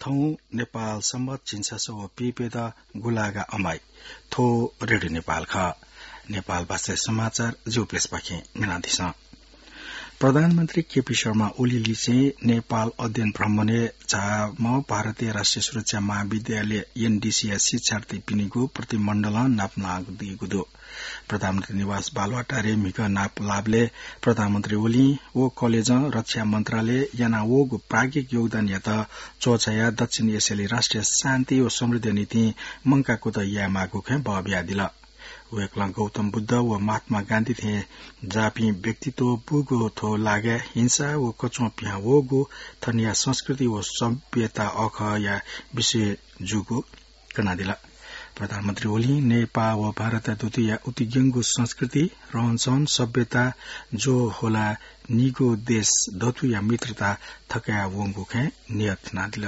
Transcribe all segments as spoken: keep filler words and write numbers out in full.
थौं नेपाल संवत् झिंछसः व पीप्यदँ गुंलागा अमाइ। थ्व रेडियो नेपाल खः। नेपाल भाषाय् समाचार जिगु प्यसःपाखें न्यनादिसँ। प्रधानमन्त्री केपी शर्मा ओली लिसें नेपाल अध्ययन भ्रमणय् झाःम्ह भारतीय राष्ट्रिय सुरक्षा महाविद्यालय, एनडीसी या शिक्षार्थीपिनिगु प्रतिमण्डलं नापलानादीगु दु। प्रधानमन्त्री निवास बालुवाटारय् म्हिगः नापलाःबलय् प्रधानमन्त्री ओलीं व कलेजं रक्षा मन्त्रालयं यानावःगु प्राज्ञिक योगदानयात च्वछायाः दक्षिण एसियाय् राष्ट्रिय शान्ति व समृद्धिया निंतिं मंकाः कुतः यायेमाःगु खँय् बः बियादिल। वय्कलं गौतम बुद्ध व महात्मा गान्धी थें जाःपिं व्यक्तित्व बूगु थ्व लागाय् हिंसा व कच्वं पिहां वःगु थनिया संस्कृति व सभ्यता अःखःया विषय जूगु कनादिल। प्रधानमन्त्री ओलीं नेपाः व भारतया दथुया उतिग्यंगु संस्कृति, रहनसहन, सभ्यता ज्वः ह्वलाः निगू देश दथुया मित्रता थकायेवंगु खँय् नियत यानादिल।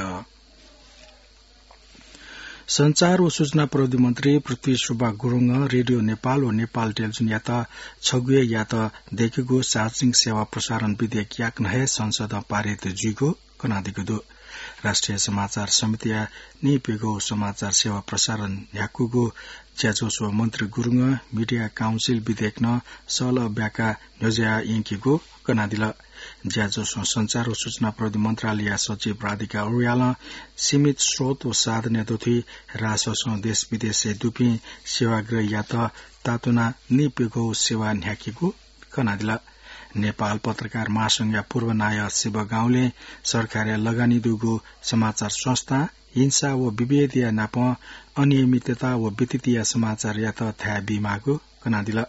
सञ्चार व सूचना प्रविधि मन्त्री पृथ्वी सुब्बा गुरुङं रेडियो नेपाल व नेपाल टेलिभिजनयात छगू हे यात दय्केगु सार्वजनिक सेवा प्रसारण विधेयक याकनं हे संसदं पारित जुइगु कनादीगु दु। राष्ट्रिय समाचार समितिया नीप्यघौ समाचार सेवा प्रसारण न्ह्याकूगु ज्याझ्वलय् मन्त्री गुरुङं मिडिया काउन्सिल विधेयक नं सःलः ब्याकाः न्ह्यज्याः यंकीगु कनादिल। ज्याझ्वलय् सञ्चार व सूचना प्रविधि मन्त्रालयया सचिव राधिका अर्यालं सीमित स्रोत व साधनया दथुइ राससं देश विदेशय् दुपिं सेवाग्रहीयात तातुनाः नीप्यघौ सेवा न्ह्याकीगु कनादिल। नेपाल पत्रकार महासंघया पूर्व नायः शिव गाउँलें सरकारया लगानी दुगु समाचार संस्था हिंसा व विभेदया नापं अनियमितता व विकृतिया समाचारयात थाय् बीमाःगु कनादिल।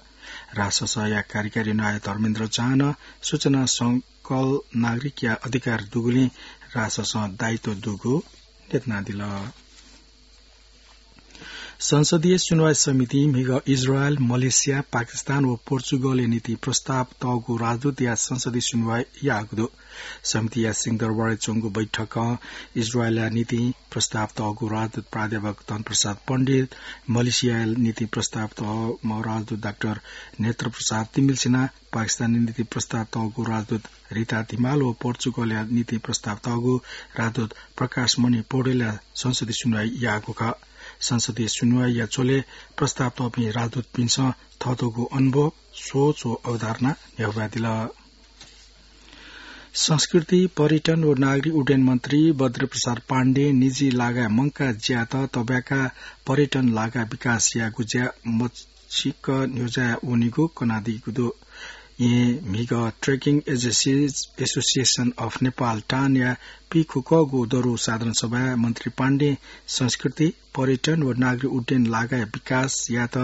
राससया कार्यकारी नायः धर्मेन्द्र झां नं सूचना सकल नागरिकया अधिकार दुगुलिं राससं दायित्व दुगु न्ह्यथनादिल। संसदीय सुनवाई समितिं म्हिगः इजरायल, मलेसिया, पाकिस्तान व पोर्चुगलया निंतिं प्रस्ताव तःगु राजदूतया संसदीय सुनवाई याःगु दु। समितिया सिंहदरबारय् च्वंगु बैठकं इजरायलया निंतिं प्रस्ताव तःगु राजदूत प्राध्यापक धनप्रसाद पण्डित, मलेसियाया निंतिं प्रस्ताव तःम्ह राजदूत डाक्टर नेत्र प्रसाद तिमिल्सिना, पाकिस्तानया निंतिं प्रस्ताव तःगु राजदूत रिता धिमाल व पोर्चुगलया निंतिं प्रस्ताव तःगु राजदूत प्रकाश मणि पौडेलया संसदीय सुनवाई याःगु खः। संसदीय सुनवाईया झ्वलय् प्रस्ताव तःपिं राजदूतपिन्सं थःथःगु अनुभव, सोच व अवधारणा न्ह्यब्वयादिल। संस्कृति, पर्यटन व नागरिक उड्डयन मन्त्री बद्री प्रसाद पाण्डें निजी लागाय् मंकाः ज्यायात तब्याकाः पर्यटन लागाय् विकास यायेगु ज्या मछिक्क न्ह्यज्याः वनीगु कनादीगु दु। येँ म्हिगः Trekking Agencies Association of Nepal, टानया पीखुकःगु दरु साधारण सभाय् मन्त्री पाण्डें संस्कृति, पर्यटन व नागरिक उड्डयन लागाय् विकास यायेत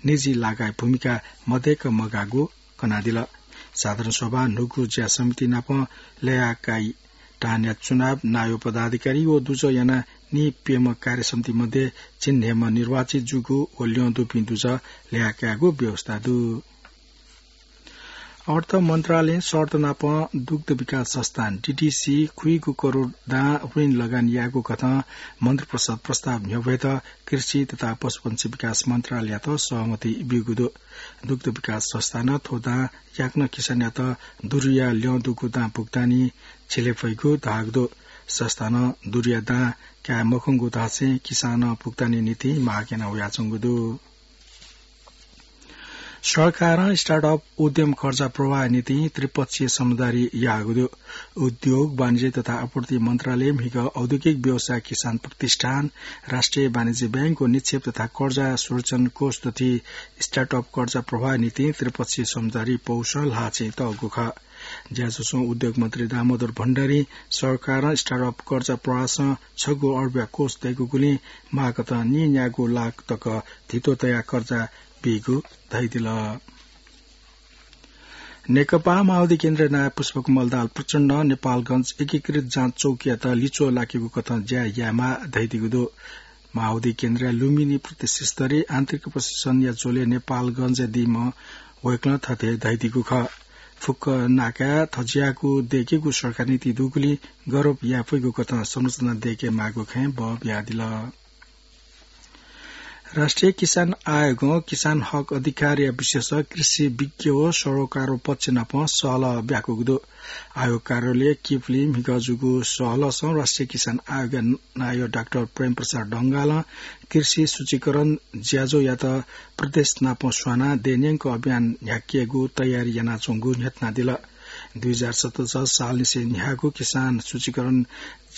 निजी लागाय् भूमिका मदय्क मगाःगु कनादिल। साधारण सभा न्हूगु ज्या समिति नाप लय्काइ। टानया चुनाव नायः पदाधिकारी व दुजः यानाः नीप्यम्ह कार्य समिति मध्ये झिंन्हय्म्ह निर्वाचित जूगु व ल्यं दुपिं दुजः लय्कायेगु व्यवस्था दु। अर्थ मन्त्रालयं शर्त नाप दुग्ध विकास संस्थान, डीडीसी, खुइगू करोड दां ऋण लगानी यायेगु कथं मन्त्री परिषद प्रस्ताव न्ह्यब्वयेत कृषि तथा पशुपंक्षी विकास मन्त्रालययात सहमति ब्यूगु दु। दुग्ध विकास संस्थानं थ्व दां याकनं किसानयात दुरुया ल्यं दुगु दां भुक्तानी झिले फइगु धाःगु दु। संस्थानं दुरुया दां काये मखंगु धासें किसानं भुक्तानी निंतिं माग याना वयाच्वंगु दु। सरकारं स्टार्टअप उद्यम कर्जा प्रवाह निंतिं त्रिपक्षीय समझदारी याःगु दु। उद्योग, वाणिज्य तथा आपूर्ति मन्त्रालयं म्हिगः औद्योगिक व्यवसाय किसान प्रतिष्ठान, राष्ट्रिय वाणिज्य बैंक व निक्षेप तथा कर्जा सुरक्षण कोष दथुइ स्टार्टअप कर्जा प्रवाह निंतिं त्रिपक्षीय समझदारी पौसं ल्हाःचें तःगु खः। ज्याझ्वलय् उद्योग मन्त्री दामोदर भण्डारीं सरकारं स्टार्टअप कर्जा प्रवाहसं छगू अर्बया कोष दय्कूगुलिं माःकथं नीन्यागू लाख तक धितो तयाः कर्जा बीगु धयादिल। नेकपा माओवादी केन्द्रया नायः पुष्पकमल दाहाल प्रचण्डं नेपालगंज एकीकृत जाँच चौकीयात लिच्वः लाकेगु कथं ज्या यायेमाः धयादीगु दु। माओवादी केन्द्रया लुम्बिनी प्रदेश स्तरीय आन्तरिक प्रशिक्षणया झ्वलय् नेपालगंजय् दीम्ह वय्कलं थथे धयादीगु खः। फुक्क नाकाय् थज्याःगु दय्केगु सरकार नीति दुगुलिं गौरव याये फइगु कथं संरचना दय्के माःगु खँय् बः बियादिल। राष्ट्रिय किसान आयोगं किसान हक अधिकारया विषयस कृषि विज्ञ व सरोकार व पक्ष नाप सहलह ब्याकूगु दु। आयोग कार्यालय किपुली म्हिगः जूगु सहलहसं राष्ट्रिय किसान आयोगया नायः डाक्टर प्रेम प्रसाद ढंगालं कृषि सूचीकरण ज्याझ्वःयात प्रदेश नाप स्वानाः देय् न्यंक अभियान न्ह्याकेगु तयारी यानाच्वंगु न्ह्यथनादिल। दुई हजार सतहत्तर सालनिसें न्ह्याःगु किसान सूचीकरण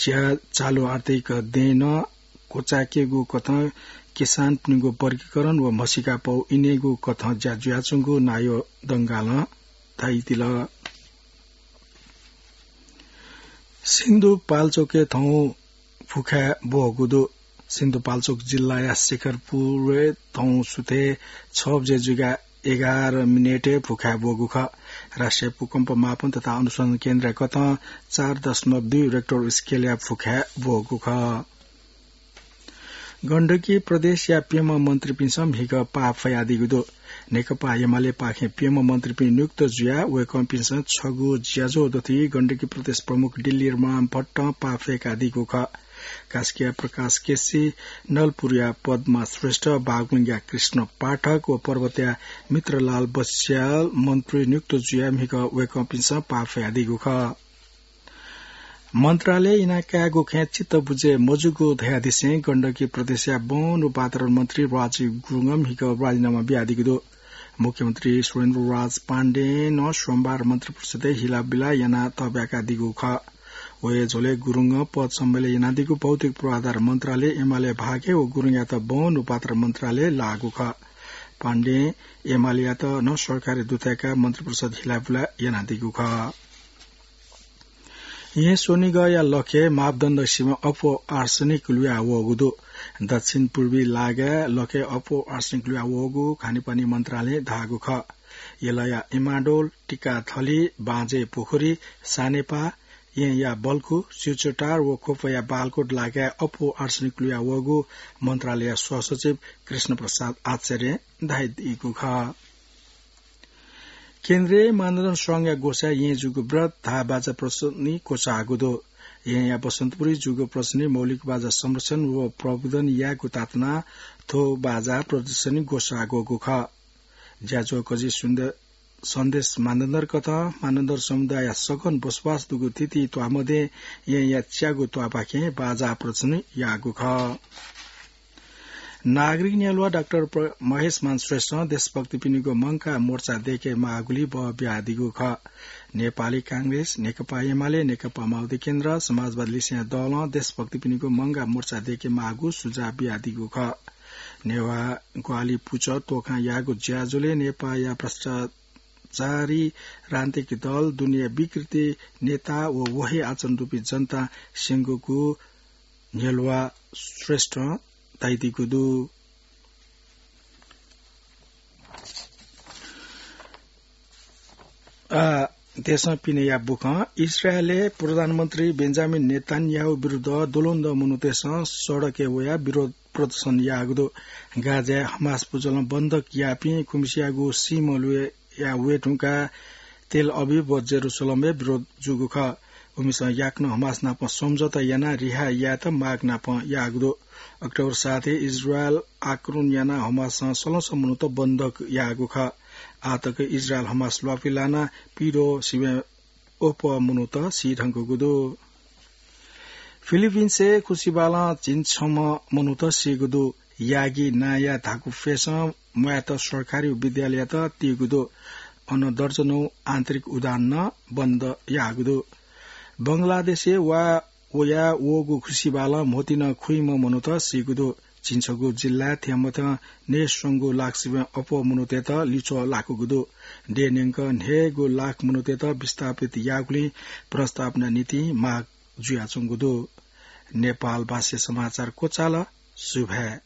ज्या चालु आर्थिक देय् नं क्वचायेकेगु कथं किसानपिनिगु वर्गीकरण व म्हसीका पौ इनेगु कथं ज्या जुयाच्वंगु नायः ढंगालं धयादिल। सिन्धुपाल्चोकय् थौं भुखाय् ब्वःगु दु। सिन्धुपाल्चोक जिल्लाया शिखरपुरय् थौं सुथय् छ बजे जुयाः एघार मिनेटय् भुखाय् ब्वःगु खः। राष्ट्रिय भूकम्प मापन तथा अनुसन्धान केन्द्रया कथं चार दशमलव दुई रेक्टर स्केलया भुखाय् ब्वःगु खः। गण्डकी प्रदेशया प्यम्ह मन्त्रीपिन्सं म्हिगः पाः फयादीगु दु। नेकपा एमालेपाखें प्यम्ह मन्त्रीपिं नियुक्त जुयाः वय्कःपिन्सं छगू ज्याझ्वः दथुइ गण्डकी प्रदेश प्रमुख दिल्ली राम भट्टं पाः फय्कादीगु खः। कास्कीया प्रकाश केसी, नलपुरया पद्मा श्रेष्ठ, बागलुङया कृष्ण पाठक व पर्वतया मित्रलाल बस्याल मन्त्री नियुक्त जुयाः म्हिगः वय्कःपिन्सं पाः फयादीगु खः। मन्त्रालय इनाकायेगु खँय् चित्त बुझे मजूगु धयादिसें गण्डकी प्रदेशया वन व वातावरण मन्त्री राजीव गुरुङं म्हिगः राजीनामा बियादीगु दु। मुख्यमन्त्री सुरेन्द्र राज पाण्डें नं सोमबार मन्त्रिपरिषदय् हिलाबिला यानाः तःब्याकादीगु खः। वहे झ्वलय् गुरुङं पद सम्भालय् यानादीगु भौतिक पूर्वाधार मन्त्रालय एमाले भागय् व गुरुङयात वन व वातावरण मन्त्रालय लाःगु खः। पाण्डें एमालेयात नं सरकारी दुथ्याकाः मन्त्रिपरिषद हिलाबिला यानादीगु खः। येँ स्वनिगःया लखय् मापदण्ड सिबें अप्वः आर्सेनिक लुया वःगु दु। दक्षिण पूर्वी लागाय् लखय् अप्वः आर्सेनिक लुया वःगु खानेपानी मन्त्रालयं धाःगु खः। यलया इमाडोल, टिकाथली, बाँझे पोखरी, सानेपा, येँया बल्खु, सिचोटार व ख्वपया बालकोट लागाय् अप्वः आर्सेनिक लुया वःगु मन्त्रालयया सहसचिव कृष्ण प्रसाद आचार्यं धयादीगु खः। केन्द्रीय मानदण्ड संघया ग्वसाय् येँ जूगु ब्रत धाः बाजा प्रदर्शनी क्वचाःगु दु। येँया बसन्तपुरय् जूगु प्रदर्शनी मौलिक बाजा संरक्षण व प्रवर्धन यायेगु तातुनाः थ्व बाजा प्रदर्शनी ग्वसाःगु खः। ज्याझ्वः कजि सुन्द-, सन्देश मानदण्ड कथं मानदण्ड समुदायया सघन बसोबास दुगु थीथी त्वाःमध्ये येँया च्यागू त्वाःपाखें बाजा प्रदर्शनी याःगु खः। नागरिक न्ह्यलुवा डाक्टर प्र-, महेशमान श्रेष्ठं देशभक्तिपिनिगु मंकाः मोर्चा दय्के माःगुलिइ बः बियादीगु खः। नेपाली कांग्रेस, नेकपा एमाले, नेकपा माओवादी केन्द्र, समाजवादी लिसेंया दलं देशभक्तिपिनिगु मंकाः मोर्चा दय्के माःगु सुझाव बियादीगु खः। नेवाः ग्वाहालि पुचः तोखां याःगु ज्याझ्वलय् नेपाःया भ्रष्टाचारी राजनीतिक दल, दुनेया विकृति नेता व वहे आचरण दुपिं जनतां स्यंगुगु न्ह्यलुवा श्रेष्ठं धयादीगु दु। आ, देशं पिनेया बुखँ। इस्राएलय् प्रधानमन्त्री बेन्जामिन नेतान्याहु विरुद्ध द्वलंद्वः मनूतय्सं सडकय् वयाः विरोध प्रदर्शन याःगु दु। गाजाय् हमास पुचलं बन्धक याःपिं खुम्हसियागु सीम्ह लुया वये धुंकाः तेल अभिव व जेरूसलमय् विरोध जूगु खः। उमिसं याकनं हमास नाप सम्झौता यानाः रिहा यायेत माग नाप याःगु दु। अक्टोबर सातय् इस्राएलं आक्रमण यानाः हमासं सलंसः मनूत बन्धक याःगु खः। आःतक इस्राएलं हमास ल्वापु लानाः पीदँ सिबें अप्वः मनूत सी धुंकूगु दु। फिलिपिन्सय् खुसिबालं झिंछम्ह मनूत सीगु दु। यागी नांया धाकु प्वय्सं म्वायेत सरकारी विद्यालययात तीगु दु। अन दर्जनौं आन्तरिक उडान नं बन्द याःगु दु। बंगलादेशय् वा वया वःगु खुसिबालं म्होतिं खुइम्ह मनूत सीगु दु। झिंछगू जिल्लाय् थ्यंमथ्यं न्हय्स्वंगू लाख सिबें अप्वः मनूतय्त लिच्वः लाकूगु दु। देय् न्यंक न्हय्गू लाख मनूतय्त विस्थापित याःगुलिं पुनर्स्थापना निंतिं माग जुयाच्वंगु दु। नेपाल भाषाय् समाचार क्वचाल। सुभाय्।